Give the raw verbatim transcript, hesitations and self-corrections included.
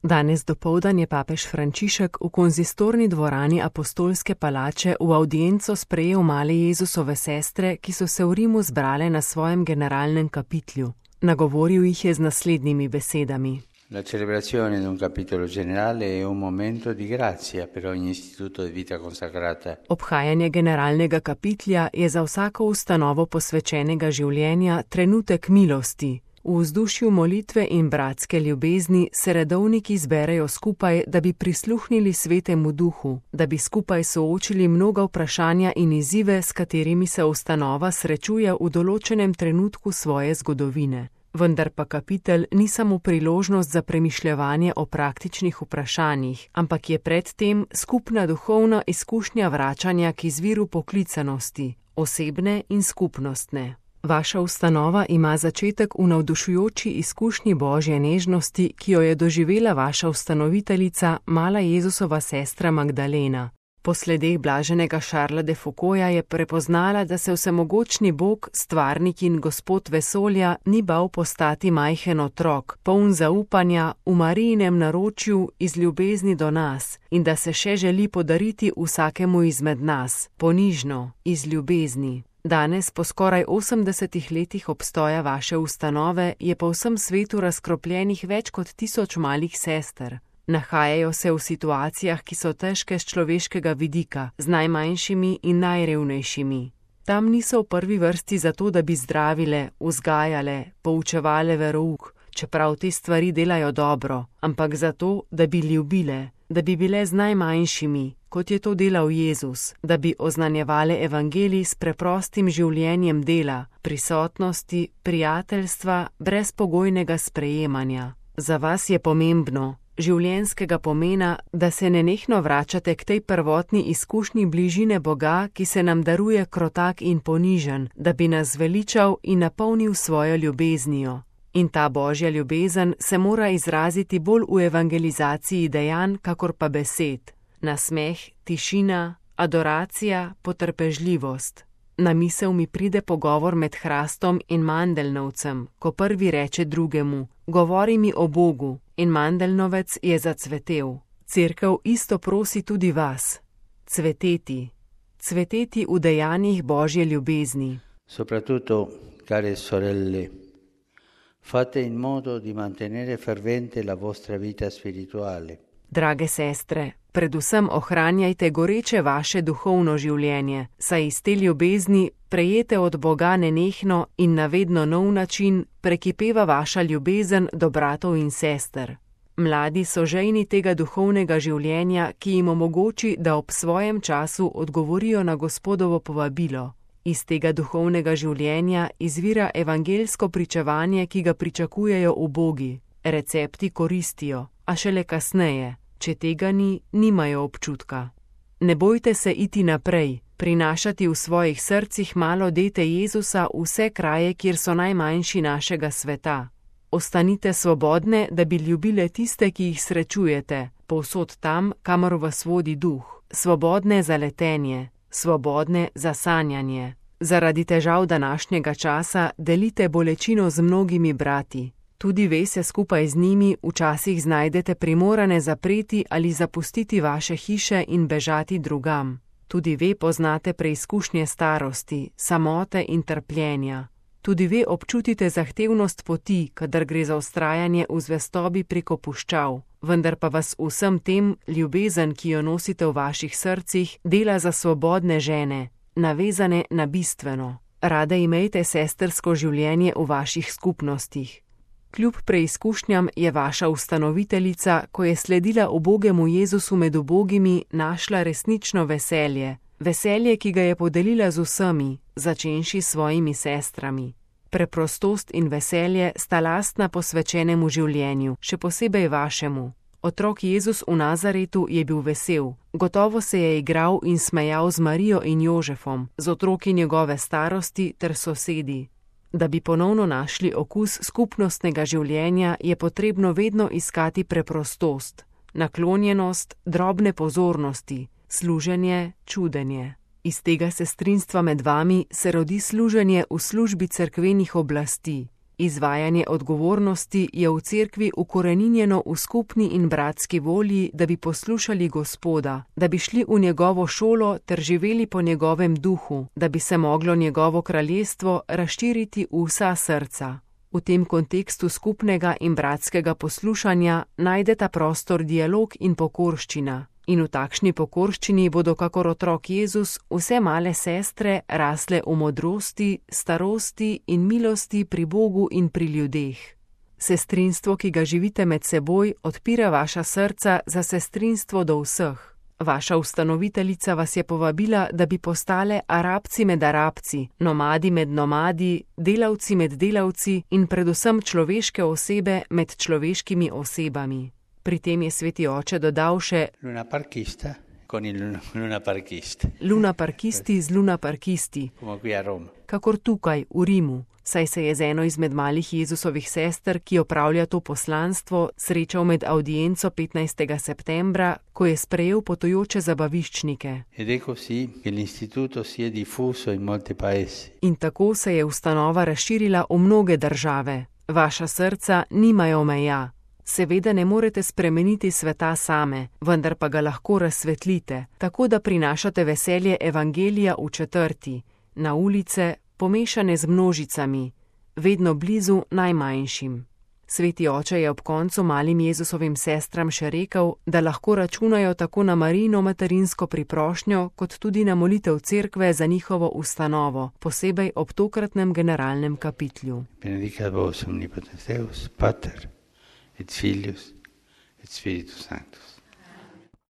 Danes dopoldan je papež Frančišek v konzistorni dvorani Apostolske palače v avdienco sprejel male Jezusove sestre, ki so se v Rimu zbrale na svojem generalnem kapitlju. Nagovoril jih je z naslednjimi besedami. La celebrazione di un capitolo generale è un momento di grazia per ogni istituto di vita consacrata. Obhajanje generalnega kapitlja je za vsako ustanovo posvečenega življenja trenutek milosti. V vzdušju molitve in bratske ljubezni se redovniki zberejo skupaj, da bi prisluhnili Svetemu Duhu, da bi skupaj soočili mnoga vprašanja in izzive, s katerimi se ustanova srečuje v določenem trenutku svoje zgodovine. Vendar pa kapitel ni samo priložnost za premišljevanje o praktičnih vprašanjih, ampak je predtem skupna duhovna izkušnja vračanja k izviru poklicanosti, osebne in skupnostne. Vaša ustanova ima začetek v navdušujoči izkušnji Božje nežnosti, ki jo je doživela vaša ustanoviteljica, mala Jezusova sestra Magdalena. Po sledeh blaženega Šarla de Foucaulta je prepoznala, da se vsemogočni Bog, stvarnik in Gospod vesolja, ni bal postati majhen otrok, poln zaupanja, v Marijinem naročju iz ljubezni do nas, in da se še želi podariti vsakemu izmed nas, ponižno, iz ljubezni. Danes, po skoraj osemdesetih letih obstoja vaše ustanove, je po vsem svetu razkropljenih več kot tisoč malih sester. Nahajajo se v situacijah, ki so težke z človeškega vidika, z najmanjšimi in najrevnejšimi. Tam niso v prvi vrsti zato, da bi zdravile, vzgajale, poučevale verouk, čeprav te stvari delajo dobro, ampak zato, da bi ljubile, da bi bile z najmanjšimi, kot je to delal Jezus, da bi oznanjevale evangelij s preprostim življenjem dela, prisotnosti, prijateljstva, brezpogojnega sprejemanja. Za vas je pomembno, življenjskega pomena, da se nenehno vračate k tej prvotni izkušnji bližine Boga, ki se nam daruje krotak in ponižen, da bi nas zveličal in napolnil svojo ljubeznijo. In ta Božja ljubezen se mora izraziti bolj v evangelizaciji dejanj, kakor pa besed. Nasmeh, tišina, adoracija, potrpežljivost. Na misel mi pride pogovor med hrastom in mandeljnovcem, ko prvi reče drugemu: govori mi o Bogu, in mandeljnovec je zacvetel. Cerkev isto prosi tudi vas. Cveteti. Cveteti v dejanjih Božje ljubezni. Soprattutto, care sorelle, fate in modo di mantenere fervente la vostra vita spirituale. Drage sestre, predvsem ohranjajte goreče vaše duhovno življenje, saj iz te ljubezni, prejete od Boga nenehno in na vedno nov način, prekipeva vaša ljubezen do bratov in sester. Mladi so žejni tega duhovnega življenja, ki jim omogoči, da ob svojem času odgovorijo na Gospodovo povabilo. Iz tega duhovnega življenja izvira evangelsko pričevanje, ki ga pričakujejo ubogi. Recepti koristijo, a šele kasneje. Če tega ni, nimajo občutka. Ne bojte se iti naprej, prinašati v svojih srcih malo dete Jezusa v vse kraje, kjer so najmanjši našega sveta. Ostanite svobodne, da bi ljubile tiste, ki jih srečujete, povsod tam, kamor vas vodi duh. Svobodne za letenje, svobodne za sanjanje. Zaradi težav današnjega časa delite bolečino z mnogimi brati. Tudi ve se skupaj z njimi včasih znajdete primorane zapreti ali zapustiti vaše hiše in bežati drugam. Tudi ve poznate preizkušnje starosti, samote in trpljenja. Tudi ve občutite zahtevnost poti, kadar gre za vztrajanje v zvestobi preko puščav. Vendar pa vas vsem tem ljubezen, ki jo nosite v vaših srcih, dela za svobodne žene, navezane na bistveno. Rade imejte sestersko življenje v vaših skupnostih. Kljub preizkušnjam je vaša ustanoviteljica, ko je sledila ubogemu Jezusu med ubogimi, našla resnično veselje. Veselje, ki ga je podelila z vsemi, začenši s svojimi sestrami. Preprostost in veselje sta lastna posvečenemu življenju, še posebej vašemu. Otrok Jezus v Nazaretu je bil vesel. Gotovo se je igral in smejal z Marijo in Jožefom, z otroki njegove starosti ter sosedi. Da bi ponovno našli okus skupnostnega življenja, je potrebno vedno iskati preprostost, naklonjenost, drobne pozornosti, služenje, čudenje. Iz tega sestrinstva med vami se rodi služenje v službi cerkvenih oblasti. Izvajanje odgovornosti je v cerkvi ukoreninjeno v skupni in bratski volji, da bi poslušali Gospoda, da bi šli v njegovo šolo ter živeli po njegovem duhu, da bi se moglo njegovo kraljestvo razširiti v vsa srca. V tem kontekstu skupnega in bratskega poslušanja najdeta prostor dialog in pokorščina. In v takšni pokorščini bodo kakor otrok Jezus vse male sestre rasle v modrosti, starosti in milosti pri Bogu in pri ljudeh. Sestrinstvo, ki ga živite med seboj, odpira vaša srca za sestrinstvo do vseh. Vaša ustanoviteljica vas je povabila, da bi postale Arabci med Arabci, nomadi med nomadi, delavci med delavci in predvsem človeške osebe med človeškimi osebami. Pri tem je sveti oče dodal še Luna parkista con il luna parkista. Luna parkisti z luna parkisti, Come qui a Roma. kakor tukaj v Rimu, saj se je z eno izmed malih Jezusovih sester, ki opravlja to poslanstvo, srečal med audienco petnajstega septembra, ko je sprejel potujoče zabaviščnike. Ed è così che l'istituto si è diffuso in molti paesi. In tako se je ustanova razširila v mnoge države. Vaša srca nimajo meja. Seveda ne morete spremeniti sveta same, vendar pa ga lahko razsvetlite, tako da prinašate veselje evangelija v četrti, na ulice, pomešane z množicami, vedno blizu najmanjšim. Sveti oče je ob koncu malim Jezusovim sestram še rekel, da lahko računajo tako na Marijino materinsko priprošnjo, kot tudi na molitev cerkve za njihovo ustanovo, posebej ob tokratnem generalnem kapitlju. Benedicat vos omnipotens Deus, Pater, et Filius, et Spiritus Sanctus.